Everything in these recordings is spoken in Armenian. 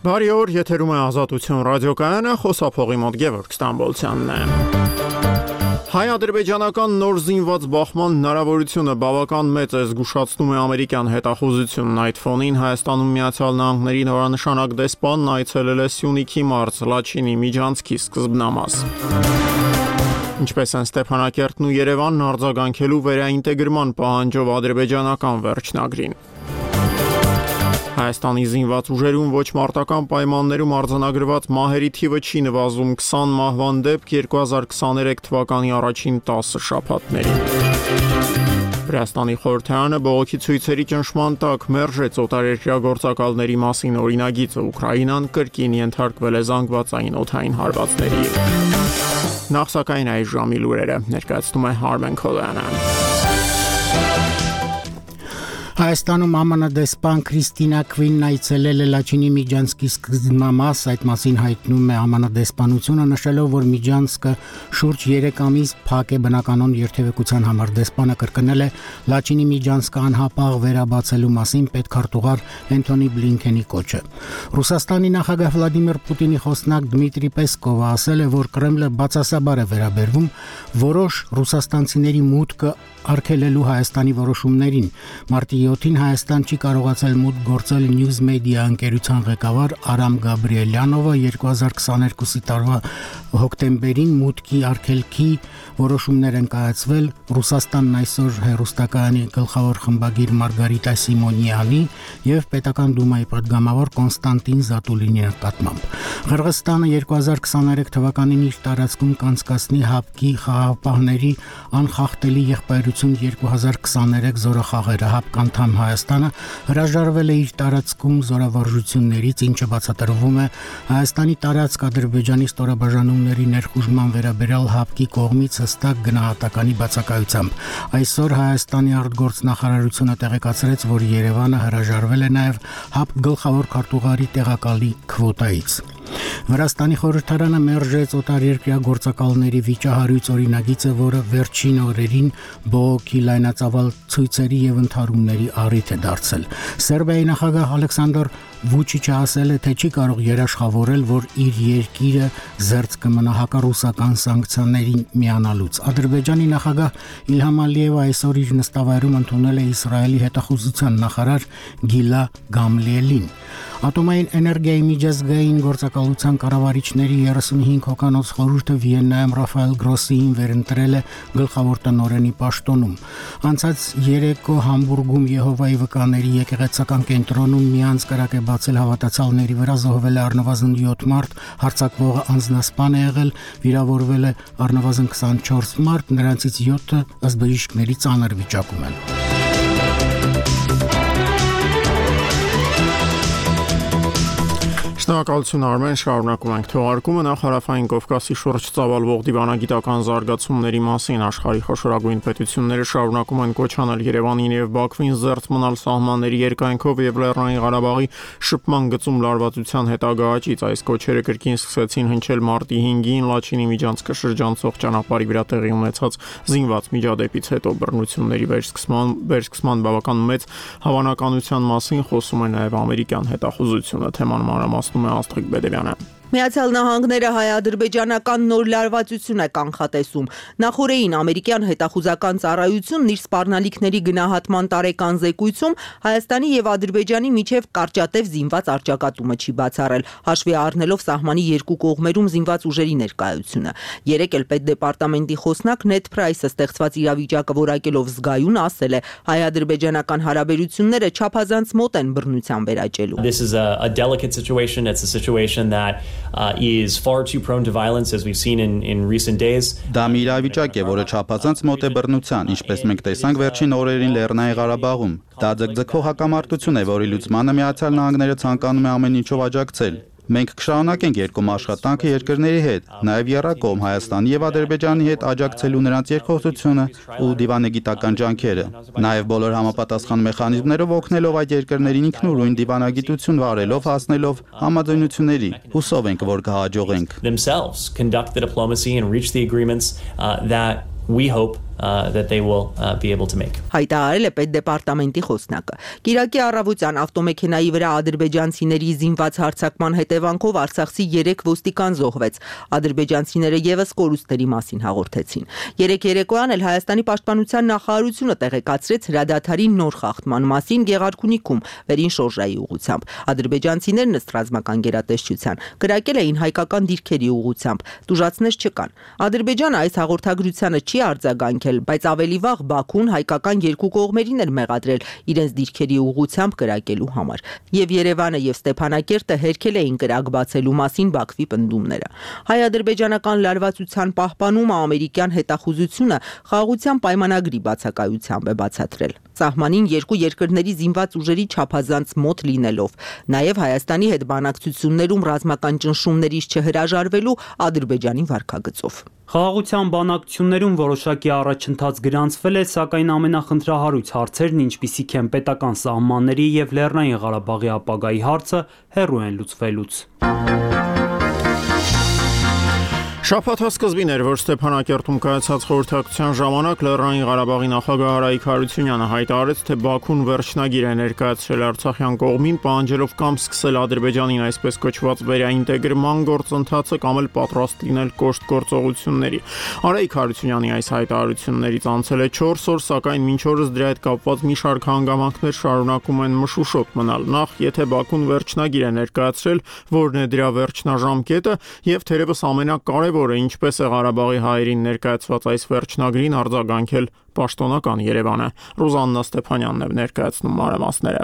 Բարի օր, եթերում է Ազատություն ռադիոկայանը, խոսափողի մոտ Գևորգ Ստամբոլցյանն է։ Հայ-ադրբեջանական նոր զինված բախման հնարավորությունը բավական մեծ է, զգուշացնում է ամերիկյան հետախուզությունն։ Այդ ֆոնին Հայաստանում Միացյալ Նահանգների նորանշանակ դեսպանն այցելել է Սյունիքի մարզ, Լաչինի, Միջանցքի սկզբնամաս։ Ինչպես են Ստեփանակերտն ու Երևանն արձագանքելու վերաինտեգրման պահանջով ադրբեջանական վերջնագրին։ Հայաստանի զինված ուժերում ոչ մարտական պայմաններում արձանագրված մահերի թիվը չի նվազում, 20 մահվան դեպք 2023 թվականի առաջին 10 շաբաթներին։ Վրաստանի խորհրդարանը բողոքի ցույցերի ճնշման տակ մերժեց օտարերկրյա գործակալների մասին օրինագիծը, Ուկրաինան կրկին ենթարկվել է զանգվածային օդային հարվածների։ Նախ սակայն այս ժամի լուրերը ներկայացնում է Հարմեն Քոլյանը։ Հայաստանում ԱՄՆ դեսպան Քրիստինա Քվինն այցելել է Լաչինի Միջանցքի սկզբնամաս, այդ մասին հայտնում է ԱՄՆ դեսպանությունը, նշելով, որ Միջանցքը շուրջ 3 ամիս փակ է բնականոն երթևեկության համար։ Դեսպանը կրկնել է Լաչինի Միջանցքը անհապաղ վերաբացելու մասին պետքարտուղար Էնթոնի Բլինքենի կոչը։ Ռուսաստանի նախագահ Վլադիմիր Պուտինի խոսնակ Դմիտրի Պեսկովը ասել է, որ Կրեմլը բացասաբար է վերաբերվում որոշ ռուսաստանցիների մուտքը արգելելու Հայաստանի որոշումներին։ Մարտի 7-ին Հայաստան չի կարողացել մուտք գործել News Media ընկերության ղեկավար Արամ Գաբրիելյանովը 2022 տարվա հոկտեմբերին մուտքի արգելքի որոշումներ են կայացվել Ռուսաստանն այսօր հեռուստակայանի գլխավոր խմբագիր Մարգարիտա Սիմոնյանի եւ պետական դումայի պատգամավոր Կոնստանտին Զատուլինի նկատմամբ։ Ղրղստանը 2023 թվականին իր տարածքում կանցկացնի ՀԱՊԿ-ի խաղաղապահների անխախտելի եղբայրություն 2023 զորախաղերը ՀԱՊԿ-անդամ Հայաստանը հրաժարվել է իր տարածքում զորավարժություններից, ինչը բացատրվում է Հայաստանի տարածք Ադրբեջանի ստորաբաժանումների ներխուժման վերաբերյալ ՀԱՊԿ-ի կողմից հստակ գնահատականի բացակայությամբ։ Այսօր Հայաստանի արտգործնախարարությունը տեղեկացրեց, որ Երևանը հրաժարվել է նաև ՀԱՊԿ գլխավոր քարտուղարի տեղակալի քվոտայից։ Վրաստանի խորհրդարանը մերժեց օտարերկրյա գործակալների վիճահարույց օրինագիծը, որը վերջին օրերին բողոքի լայնածավալ ցույցերի եւ ընդհարումների առիթ է դարձել։ Սերբիայի նախագահ Ալեքսանդր Վուչիչը ասել է, թե չի կարող երաշխավորել, որ իր երկիրը զերծ կմնա հակառուսական սանկցիաներին միանալուց։ Ադրբեջանի նախագահ Իլհամ Ալիևը այսօր իր նստավայրում ընդունել է Իսրայելի հետախուզության նախարար Գիլա Գամլիելին։ Ատոմային էներգիայի միջազգային գործակալության կառավարիչների 35 հոկանոց խորհուրդը Վիեննայում Ռաֆայել Գրոսիին վերընտրել է գլխավոր տնօրենի պաշտոնում։ Անցած երեկո Համբուրգում Եհովայի վկաների եկեղեցական կենտրոնում մի անձկրակ է բացել հավատացյալների վրա, զոհվել է առնվազն 7 մարդ, հարձակվողը անձնասպան է եղել, վիրավորվել է առնվազն 24 մարդ, նրանցից 7-ը ըստ բժիշկների ծանր վիճակում են։ Շնորհակալություն Արմեն, շարունակում ենք թողարկումը։ Նախ Հարավային Կովկասի շուրջ ծավալվող դիվանագիտական զարգացումների մասին աշխարհի խոշորագույն պետությունները շարունակում են կոչ անել Երևանին եւ Բաքվին զերծ մնալ սահմանների երկայնքով եւ Լեռնային Ղարաբաղի շփման գծում լարվածության հետագա աճից։ Այս կոչերը կրկին սկսեցին հնչել մարտի 5-ին Լաչինի Միջանցքը շրջանցող ճանապարհի վրա տեղի ունեցած զինված միջադեպից հետո բռնությունների վերսկսման բավական մեծ հավանականության մասին խոսում է նաեւ ամերիկյան հետախուզությունը։ Թեման մանրամասնում է Աստղիկ Բեդևյանը։ Միացյալ Նահանգները հայ-ադրբեջանական նոր լարվածություն է կանխատեսում։ Նախորդին ամերիկյան հետախուզական ծառայությունն իր սպառնալիքների գնահատման տարեկան զեկույցում Հայաստանի եւ Ադրբեջանի միջև կարճատև զինված առճակատումը չի բացառել, հաշվի առնելով սահմանի երկու կողմերում զինված ուժերի ներկայությունը։ Երեկ էլ պետդեպարտամենտի խոսնակ Նեդ Փրայսը ստեղծված իրավիճակը որակելով զգայուն ասել է, հայ-ադրբեջանական հարաբերությունները չափազանց մոտ են բռնության վերաճելու։ This is a delicate situation. It's a situation that is far too prone to violence as we've seen in recent days. Դա մի իրավիճակ է, որը չափազանց մոտ է բռնության, ինչպես մենք տեսանք վերջին օրերին Լեռնային Ղարաբաղում։ Դա ձգձգող հակամարտություն է, որի լուծմանը Միացյալ Նահանգները ցանկանում է ամեն ինչով աջակցել։ Մենք կշարունակենք երկում աշխատանքը երկրների հետ, նաև եռակողմ Հայաստանի եւ Ադրբեջանի հետ աջակցելու նրանց երկխոսությունը ու դիվանագիտական ջանքերը, նաև բոլոր համապատասխան մեխանիզմներով օգնելով այդ երկրներին ինքնուրույն դիվանագիտություն վարելով հասնելով համաձայնությունների։ Հուսով ենք, որ կհաջողենք։ Themselves conduct the diplomacy and reach the agreements that we hope that they will be able to make. Հայտարարել է պետդեպարտամենտի խոսնակը։ Կիրակի առավոտյան ավտոմեքենայի վրա ադրբեջանցիների զինված հարձակման հետևանքով Արցախի 3 ոստիկան զոհվեց։ Ադրբեջանցիները եւս կորուստների մասին հաղորդեցին։ Երեկ երեկոյան էլ Հայաստանի պաշտպանության նախարարությունը տեղեկացրեց հրադադարի նոր խախտման մասին Գեղարքունիքում վերին շորժայի ուղղությամբ։ Ադրբեջանցիներն ըստ ռազմական գերատեսչության կրակել էին հայկական դիրքերի ուղղությամբ։ Տուժածներ չկան։ Ադրբեջանը այս հաղորդագրությանը չի արձագանքել, բայց ավելի վաղ Բաքուն հայկական երկու կողմերին էր մեղադրել իրենց դիրքերի ուղղությամբ կրակելու համար։ Եվ Երևանը եւ Ստեփանակերտը հերքել էին կրակ բացելու մասին Բաքվի պնդումները։ Հայ-ադրբեջանական լարվածության պահպանումը ամերիկյան հետախուզությունը խաղաղության պայմանագրի բացակայությամբ է բացատրել։ Սահմանին երկու երկրների զինված ուժերի չափազանց մոտ լինելով, նաև Հայաստանի հետ բանակցություններում ռազմական ճնշումներից չհրաժարվելու Ադրբեջանի վարքագծով։ Խաղաղության բանակցություններում որոշակի առաջընթաց գրանցվել է, սակայն ամենախնդրահարույց հարցերն, ինչպիսիք են պետական սահմանների եւ Լեռնային Ղարաբաղի ապագայի հարցը, հեռու են լուծվելուց։ Շաբաթը սկզբին էր, որ Ստեփանակերտում կայացած խորհրդակցության ժամանակ Լեռնային Ղարաբաղի նախագահ Արայիկ Հարությունյանը հայտարարեց, թե Բաքուն վերջնագիր է ներկայացրել Արցախյան կողմին, պահանջելով կամ սկսել Ադրբեջանին այսպես կոչված վերաինտեգրման գործընթացը կամ էլ պատրաստ լինել կոշտ գործողությունների։ Արայիկ Հարությունյանի այս հայտարարություններից անցել է 4 օր, սակայն մինչ օրս դրա հետ կապված մի շարք հանգամանքներ շարունակում են մշուշոտ մնալ։ Նախ, եթե Բաքուն վերջնագիր է ներկայացրել, որն է դրա վերջնաժամկետը, եւ թերևս ամենակարևորը ինչպես է Ղարաբաղի հայերին ներկայացված այս վերջնագրին արձագանքել պաշտոնական Երևանը։ Ռուզաննա Ստեփանյանն է ներկայացնում մանրամասները։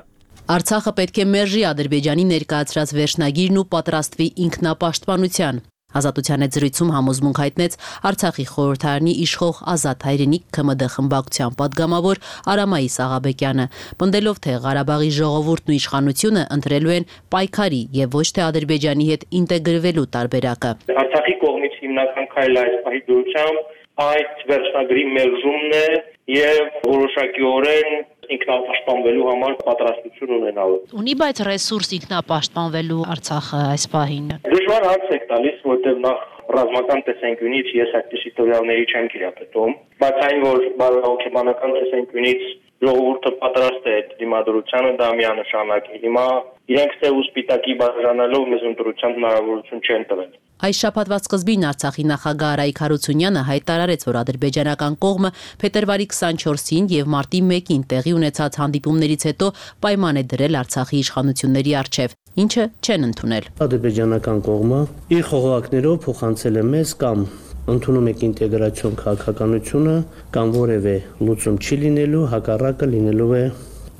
Արցախը պետք է մերժի Ադրբեջանի ներկայացրած վերջնագիրն ու պատրաստվի ինքնապաշտպանության։ Ազատության հետ զրույցում համոզմունք հայտնեց Արցախի խորհրդարանի իշխող Ազատ հայրենիք ՔՄԴ խմբակցության падգամավոր Արամայիս Աղաբեկյանը, պնդելով, թե Ղարաբաղի ժողովուրդն ու իշխանությունը ընտրելու են պայքարի եւ ոչ թե Ադրբեջանի հետ ինտեգրվելու տարբերակը։ Արցախի կողմից հիմնական քայլը այս պահի դուրսությամբ այդ վերջնագրի մերժումն է եւ որոշակիորեն ինքնապաշտպանվելու համար պատրաստություն ունենալու։ Ունի բայց ռեսուրս ինքնապաշտպանվելու Արցախը այս պահին։ Դժվար հարց եք տալիս, որտեղ նախ ռազմական տեսանկյունից ես այդպիսի տվյալների չեմ կիրապետում, բայց այն որ բարոյական տեսանկյունից ժողովուրդը պատրաստ է դիմադրությանը, դա միանշանակ է։ Հիմա իրենք թե սպիտակի բաժանելով մեզ ընտրության հնարավորություն չեն տվել։ Այս շաբաթվա սկզբին Արցախի նախագահ Արայիկ Հարությունյանը հայտարարեց, որ ադրբեջանական կողմը փետրվարի 24-ին եւ մարտի 1-ին տեղի ունեցած հանդիպումներից հետո պայման է դրել Արցախի իշխանությունների առջև, ինչը չեն ընդունել։ Ադրբեջանական կողմը իր խողովակներով փոխանցել է մեզ կամ ընդունում եք ինտեգրացիոն քաղաքականությունը կամ որևէ լուծում չի լինելու, հակառակը լինելու է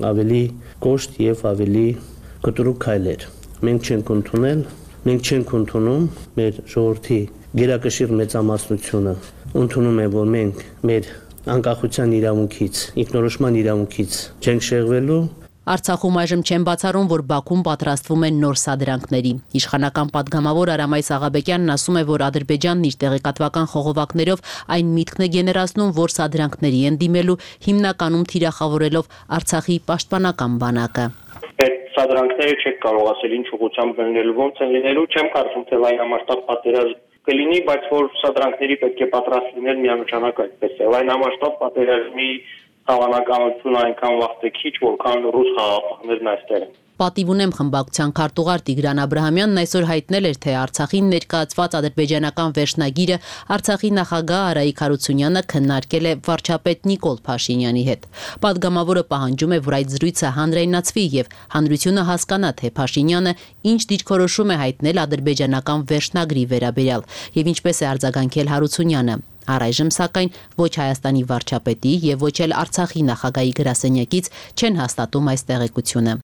ավելի կոշտ եւ ավելի կտրուկ քայլեր։ Մենք չենք ընդունել, մենք չենք ընդունում, մեր ժողովրդի գերակշիռ մեծամասնությունը ընդունում է, որ մենք մեր անկախության իրավունքից, ինքնորոշման իրավունքից չենք շեղվելու։ Արցախում այժմ չեն բացառում, որ Բաքուն պատրաստվում է նոր սադրանքների։ Իշխանական падգամավոր Արամայիս Աղաբեկյանն ասում է, որ Ադրբեջանն իր տեղեկատվական խողովակներով այն միտքն է գեներացնում, որ սադրանքների են դիմելու, հիմնականում թիրախավորելով Արցախի պաշտպանական բանակը։ Այդ սադրանքները չեք կարող ասել ինչ ուղղությամբ լինելու, ոնց են լինելու, չեմ կարծում, թե լայնամասշտաբ պատերազմ կլինի, բայց որ սադրանքների պետք է պատրաստ լինել միանշանակ այդպես է։ Լայնամասշտաբ պատերազմի հավանականությունը այնքան վաղ է քիչ, որքան ռուս խաղաղապահներն այստեղ են։ Պատիվ ունեմ խմբակցության քարտուղար Տիգրան Աբրահամյանն այսօր հայտնել էր, թե Արցախին ներկայացված ադրբեջանական վերջնագիրը Արցախի նախագահ Արայիկ Հարությունյանը քննարկել է վարչապետ Նիկոլ Փաշինյանի հետ։ Պատգամավորը պահանջում է, որ այդ զրույցը հանրայնացվի եւ հանրությունը հասկանա, թե Փաշինյանը ինչ դիրքորոշում է հայտնել ադրբեջանական վերջնագրի վերաբերյալ եւ ինչպես է արձագանքել Հարությունյանը։ Առայժմ սակայն ոչ Հայաստանի վարչապետի եւ ոչ էլ Արցախի նախագահի գրասենյակից չեն հաստատում այս տեղեկությունը։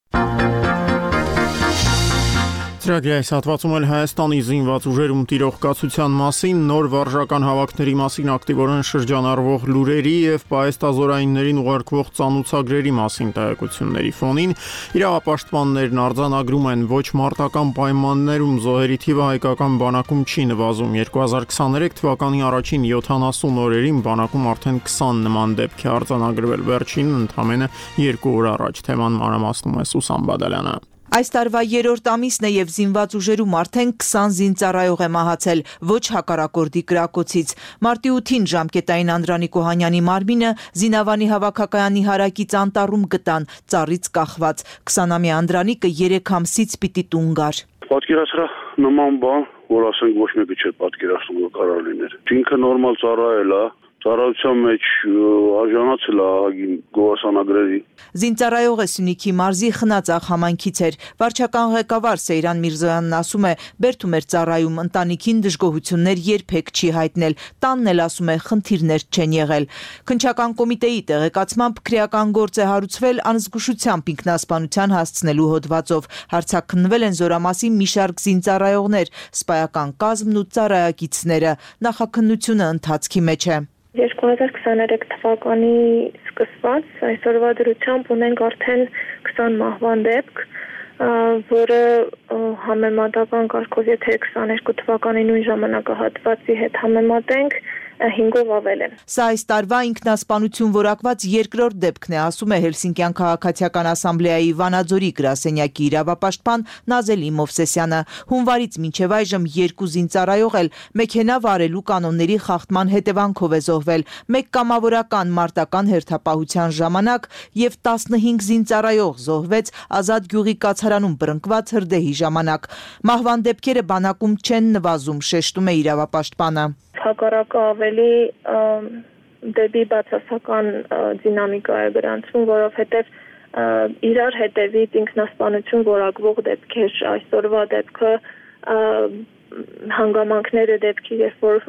Ծրագրի այս հատվածում էլ Հայաստանի զինված ուժերում տիրող կացության մասին, նոր վարժական հավաքների մասին ակտիվորեն շրջանառվող լուրերի եւ պահեստազորայիններին ուղարկվող ծանուցագրերի մասին տեղեկությունների ֆոնին իրավապաշտպաններն արձանագրում են, ոչ մարտական պայմաններում զոհերի թիվը հայկական բանակում չի նվազում։ 2023 թվականի առաջին 70 օրերին բանակում արդեն 20 նման դեպք է արձանագրվել, վերջինն ընդամենը 2 օր առաջ։ Թեման մանրամասնում է Սուսան Բադալյանը։ Այս տարվա 3-րդ ամիսն է եւ զինված ուժերում արդեն 20 զինծառայող է մահացել, ոչ հակառակորդի կրակոցից։ Մարտի 8-ին ժամկետային Անդրանիկ Օհանյանի մարմինը Զինավանի հավաքակայանի հարակից անտառում գտան, ծառից կախված։ 20-ամյա Անդրանիկը 3 ամսից պիտի տուն գար։ Պատկերացրա նման բան, որ ասենք ոչ մեկը չէ պատկերացնում, որ կարող լիներ։ Ինքը նորմալ ծառայել է, ծառայության մեջ արժանացել է ահագին գովասանագրերի։ Զինծառայողը Սյունիքի մարզի Խնածախ համայնքից էր։ Վարչական ղեկավար Սեյրան Միրզոյանն ասում է, բերդում էր ծառայում, ընտանիքին դժգոհություններ երբեք չի հայտնել, տանն էլ ասում է խնդիրներ չեն եղել։ Քննչական կոմիտեի տեղեկացմամբ քրեական գործ է հարուցվել անզգուշությամբ ինքնասպանության հասցնելու հոդվածով։ Հարցաքննվել են Զորամասի մի շարք զինծառայողներ, սպայական կազմն ու ծառայակիցները։ Նախաքննությունը ընթացքի մեջ է։ 2023 թվականի սկսված այսօրվա դրությամբ ունենք արդեն 20 մահվան դեպք, որը համեմատական կարգով եթե 22 թվականի նույն ժամանակահատվածի հետ համեմատենք, 5-ով ավել է։ Սա այս տարվա ինքնասպանություն որակված երկրորդ դեպքն է, ասում է Հելսինկյան քաղաքացիական ասամբլեայի Վանաձորի գրասենյակի իրավապաշտպան Նազելի Մովսեսյանը։ Հունվարից մինչև այժմ 2 զինծառայող էլ մեքենա վարելու կանոնների խախտման հետևանքով է զոհվել, 1 կամավորական մարտական հերթապահության ժամանակ եւ 15 զինծառայող զոհվեց Ազատ գյուղի կացարանում բռնկված հրդեհի ժամանակ։ Մահվան դեպքերը բանակում չեն նվազում, շեշտում է իրավապաշտպանը։ Հակառակը ավելի դեպի բացասական դինամիկա է գրանցվում, որովհետև իրար հետևից ինքնասպանություն որակվող դեպքեր, այսօրվա դեպքը հանգամանքները դեպքի, երբ որ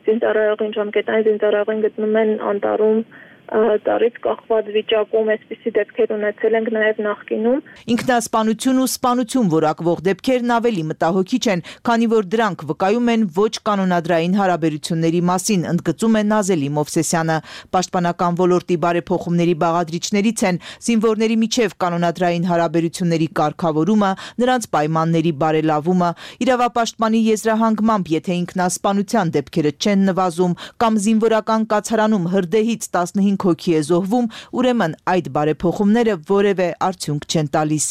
զինծառայողին ժամկետային զինծառայողին գտնում են անտառում ծառից կախված վիճակում, այսպիսի դեպքեր ունեցել ենք նաև նախկինում։ Ինքնասպանություն ու սպանություն որակվող դեպքերն ավելի մտահոգիչ են, քանի որ դրանք վկայում են ոչ կանոնադրային հարաբերությունների մասին, ընդգծում է Նազելի Մովսեսյանը։ Պաշտպանական ոլորտի բարեփոխումների բաղադրիչներից են զինվորների միջև կանոնադրային հարաբերությունների կարգավորումը, նրանց պայմանների բարելավումը։ Իրավապաշտպանի եզրահանգմամբ, եթե ինքնասպանության դեպքերը չեն նվազում կամ զինվորական կացարանում հրդեհից 15 հոգի է զոհվում, ուրեմն այդ բարեփոխումները որևէ արդյունք չեն տալիս։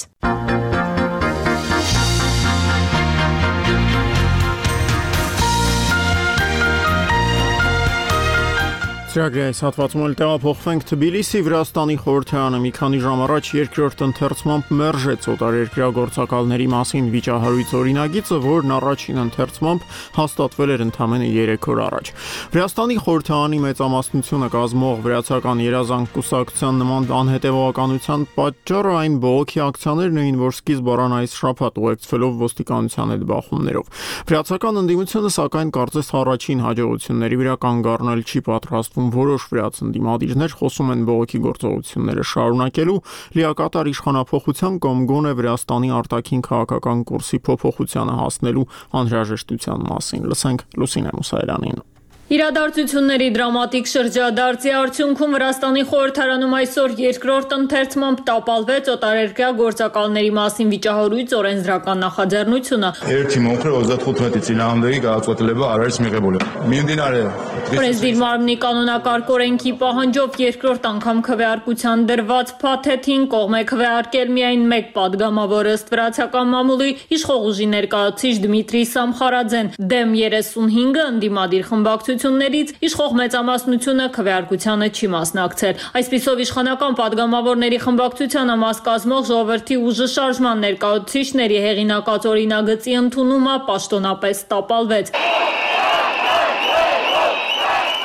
Ծրագրի այս հատվածում էլ տեղափոխվենք Թբիլիսի, Վրաստանի խորհրդարանը մի քանի ժամ առաջ երկրորդ ընթերցմամբ մերժեց օտարերկրյա գործակալների մասին վիճահարույց օրինագիծը, որն առաջին ընթերցմամբ հաստատվել էր ընդամենը 3 օր առաջ։ Վրաստանի խորհրդարանի մեծամասնությունը կազմող վրացական երազանք կուսակցության նման անհետևողականության պատճառը այն բողոքի ակցիաներն էին, որ սկիզբ առան այս շաբաթ ուղեկցվելով ոստիկանության հետ բախումներով։ Վրացական ընդդիմությունը սակայն կարծես առաջին հաջողությունների վրա կանգ առնել չի պատրաստվում։ Որոշ վրաց ընդդիմադիրներ խոսում են բողոքի գործողությունները շարունակելու, լիակատար իշխանափոխության կամ գոնե Վրաստանի արտաքին քաղաքական կուրսի փոփոխությանը հասնելու անհրաժեշտության մասին։ Լսենք Լուսինե Մուսայելյանին։ Իրադարձությունների դրամատիկ շրջադարձի արդյունքում Վրաստանի խորհրդարանում այսօր երկրորդ ընթերցմամբ տապալվեց օտարերկրյա գործակալների մասին վիճահարույց օրենսդրական նախաձեռնությունը։ Օրենսդիր մարմնի կանոնակարգ օրենքի պահանջով երկրորդ անգամ քվեարկության դրված փաթեթին կողմ է քվեարկել միայն 1 պատգամավոր ըստ վրացական մամուլի իշխող ուժի ներկայացուցիչ Դմիտրի Սամխարաձեն, դեմ 35-ը ընդդիմադիր խմբակցություններից իշխող մեծամասնությունը քվեարկությանը չի մասնակցել։ Այսպիսով իշխանական պատգամավորների խմբակցությանը մաս կազմող ժողովրդի ուժը շարժման ներկայացուցիչների հեղինակած օրինագծի ընդունումը պաշտոնապես տապալվեց։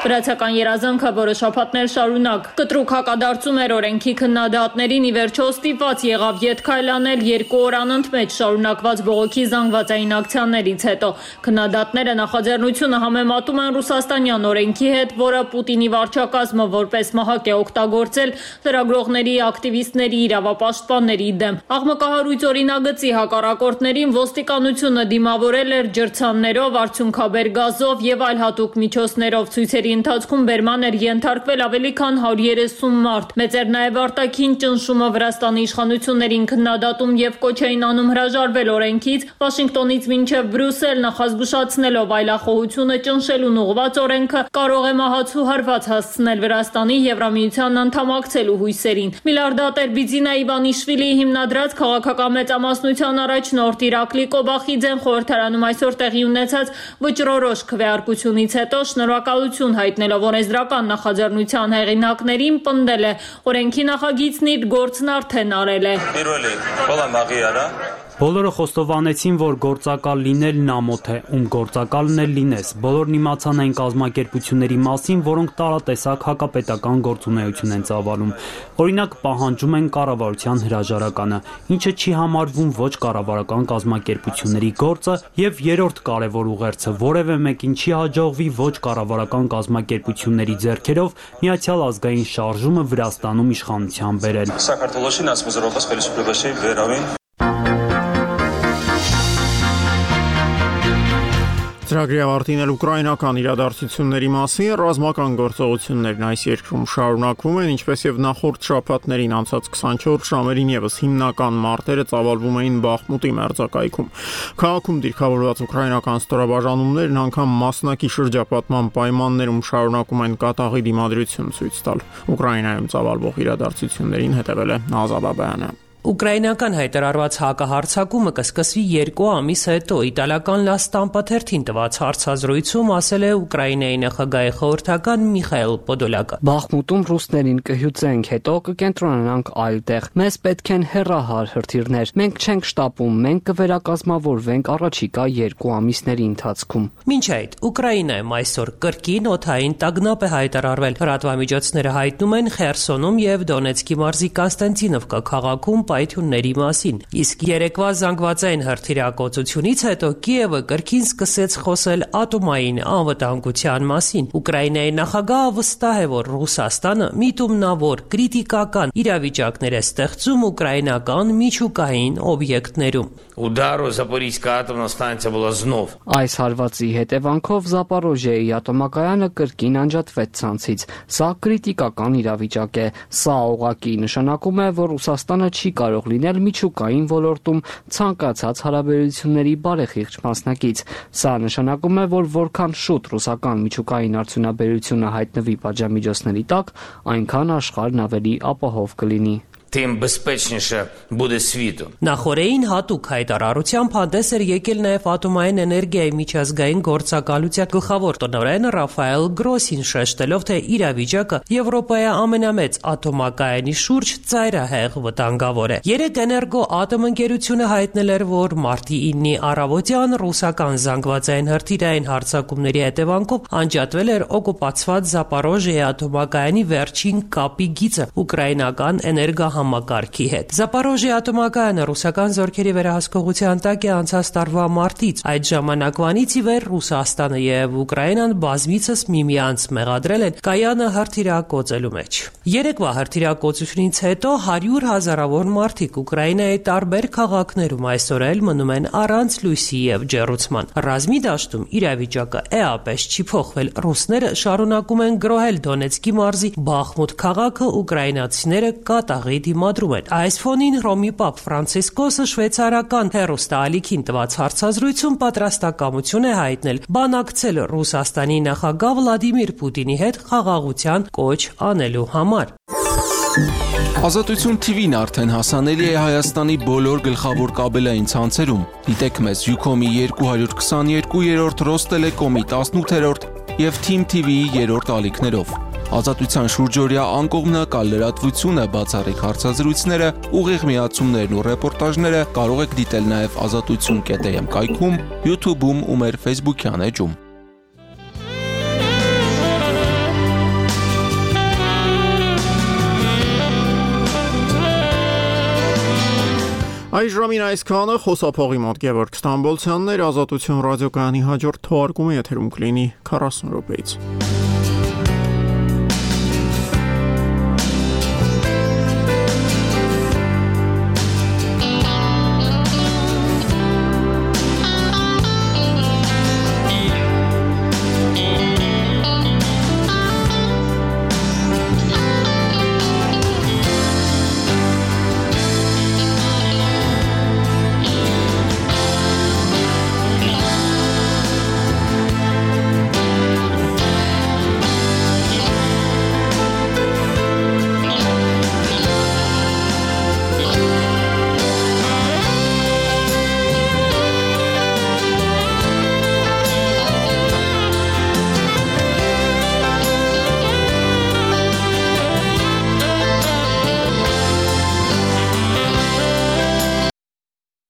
Վրացական երազանքը որը շաբաթներ շարունակ կտրուկ հակադարձում էր օրենքի քննադատներին, ի վերջո ստիպված եղավ ետ քայլանել 2 օր անընդմեջ շարունակված բողոքի զանգվածային ակցիաներից հետո։ Քննադատները նախաձեռնությունը համեմատում են ռուսաստանյան օրենքի հետ, որը Պուտինի վարչակազմը որպես մահակ է օգտագործել լրագրողների, ակտիվիստների, իրավապաշտպանների դեմ։ Աղմկահարույց օրինագծի հակառակորդներին ոստիկանությունը դիմավորել էր ջրցաններով, արդյունքաբեր գազով եւ այլ հատուկ միջոցներով ցույցերի ընթացքում բերման էր ենթարկվել ավելի քան 130 մարդ։ Մեծ էր նաև արտաքին ճնշումը Վրաստանի իշխանություններին քննադատում եւ կոչ էին անում հրաժարվել օրենքից, Վաշինգտոնից մինչև Բրյուսել նախազգուշացնելով այլախոհությունը ճնշելուն ուղղված օրենքը կարող է մահացու հարված հասցնել Վրաստանի Եվրամիության անդամակցելու հույսերին։ Միլիարդատեր Բիձինա Իվանիշվիլիի հիմնադրած քաղաքական մեծամասնության առաջնորդ Իրակլի Կոբախիձեն խորհրդարանում այսօր տեղի ունեցած վճռորոշ քվեարկությունից հետո շնորհակալություն հայտնելով օրենսդրական նախաձեռնության հեղինակներին պնդել է օրենքի նախագիծն իր գործն արդեն արել է։ Բոլորը խոստովանեցին, որ գործակալ լինելն ամոթ է, ում գործակալն էլ լինես։ Բոլորն իմացան այն կազմակերպությունների մասին, որոնք տարատեսակ հակապետական գործունեություն են ծավալում։ Օրինակ, պահանջում են կառավարության հրաժարականը, ինչը չի համարվում ոչ կառավարական կազմակերպությունների գործը, եւ երրորդ կարևոր ուղերձը որևէ մեկին չի հաջողվի ոչ կառավարական կազմակերպությունների ձեռքերով Միացյալ ազգային շարժումը Վրաստանում իշխանության բերել։ Ծրագրի ավարտին էլ ուկրաինական իրադարձությունների մասին ռազմական գործողություններն այս երկրում շարունակվում են, ինչպես եւ նախորդ շաբաթներին անցած 24 ժամերին եւս հիմնական մարտերը ծավալվում էին Բախմուտի մերձակայքում։ Քաղաքում դիրքավորված ուկրաինական ստորաբաժանումներն անգամ մասնակի շրջապատման պայմաններում շարունակում են կատաղի դիմադրություն ցույց տալ։ Ուկրաինայում ծավալվող իրադարձություններին հետևել է Ազատ Աբայանը։ Ուկրաինական հայտարարված հակահարձակումը կսկսվի 2 ամիս հետո։ Իտալական La Stampa թերթին տված հարցազրույցում ասել է Ուկրաինայի նախագահի խորհրդական Միխայել Պոդոլյակը։ Բախմուտում ռուսներին կհյուծենք, հետո կկենտրոնանանք այլ տեղ։ Մեզ պետք են հեռահար հրթիռներ։ Մենք չենք շտապում, մենք կվերակազմավորվենք առաջիկա 2 ամիսների ընթացքում։ Մինչ այդ Ուկրաինայում այսօր կրկին օդային տագնապ է հայտարարվել։ Լրատվամիջոցները հայտնում են Խերսոնում եւ Դոնեցկի մարզի Կոստանտինովկա քաղաքում պայթյունների մասին։ Իսկ երեկվա զանգվածային հրթիռակոծությունից հետո Կիևը կրկին սկսեց խոսել ատոմային անվտանգության մասին։ Ուկրաինայի նախագահը վստահ է, որ Ռուսաստանը միտումնավոր կրիտիկական իրավիճակներ է ստեղծում ուկրաինական միջուկային օբյեկտներում։ Այս հարվածի հետևանքով Զապորոժիայի ատոմակայանը կրկին անջատվեց ցանցից։ Սա կրիտիկական իրավիճակ է։ Սա ուղղակի նշանակում է, որ Ռուսաստանը չի կարող լինել միջուկային ոլորտում ցանկացած հարաբերությունների բարեխիղճ մասնակից։ Սա նշանակում է, որ որքան շուտ ռուսական միջուկային արդյունաբերությունը հայտնվի պատժամիջոցների տակ, այնքան աշխարհն ավելի ապահով կլինի։ Նախորդին հատուկ հայտարարությամբ հանդես էր եկել նաև ատոմային էներգիայի միջազգային գործակալության գլխավոր տնօրեն Ռաֆայել Գրոսին, շեշտելով, թե իրավիճակը Եվրոպայի ամենամեծ ատոմակայանի շուրջ ծայրահեղ վտանգավոր է։ Երեկ Էներգոատոմ ընկերությունը հայտնել էր, որ մարտի 9-ի առավոտյան ռուսական զանգվածային հրթիռային հարձակումների հետևանքով անջատվել էր օկուպացված Զապորոժիայի ատոմակայանի վերջին կապի գիծը ուկրաինական համակարգի հետ։ Զապորոժիայի ատոմակայանը ռուսական զորքերի վերահսկողության տակ է անցած տարվա մարտից։ Այդ ժամանակվանից ի վեր Ռուսաստանը եւ Ուկրաինան բազմիցս միմյանց մեղադրել են կայանը հրթիռակոծելու մեջ։ Երեկվա հրթիռակոծությունից հետո 100 հազարավոր մարդիկ Ուկրաինայի տարբեր քաղաքներում այսօր էլ մնում են առանց լույսի եւ ջեռուցման։ Ռազմի դաշտում իրավիճակը էապես չի փոխվել։ Ռուսները շարունակում են գրոհել Դոնեցկի մարզի Բախմուտ քաղաքը, ուկրաինացիները կատաղի դիմադրում են։ Այս ֆոնին Հռոմի Պապ Ֆրանցիսկոսը շվեյցարական հեռուստաալիքին տված հարցազրույցում պատրաստակամություն է հայտնել բանակցել Ռուսաստանի նախագահ Վլադիմիր Պուտինի հետ խաղաղության կոչ անելու համար։ Ազատություն TV-ն արդեն հասանելի է Հայաստանի բոլոր գլխավոր կաբելային ցանցերում։ Դիտեք մեզ Ucom-ի 222-րդ, Ռոստելեկոմի 18-րդ եւ Team TV-ի 3-րդ ալիքներով։ Ազատության շուրջօրյա անկողմնակալ լրատվությունը, բացառիկ հարցազրույցները, ուղիղ միացումներն ու ռեպորտաժները կարող եք դիտել նաև azatutsun.am կայքում, YouTube-ում ու մեր Facebook-յան էջում։ Այս ժամին այսքանը խոսափողի մոտ Գևորգ Ստամբոլցյանն էր, Ազատություն ռադիոկայանի հաջորդ թողարկումը եթերում կլինի 40 րոպեից։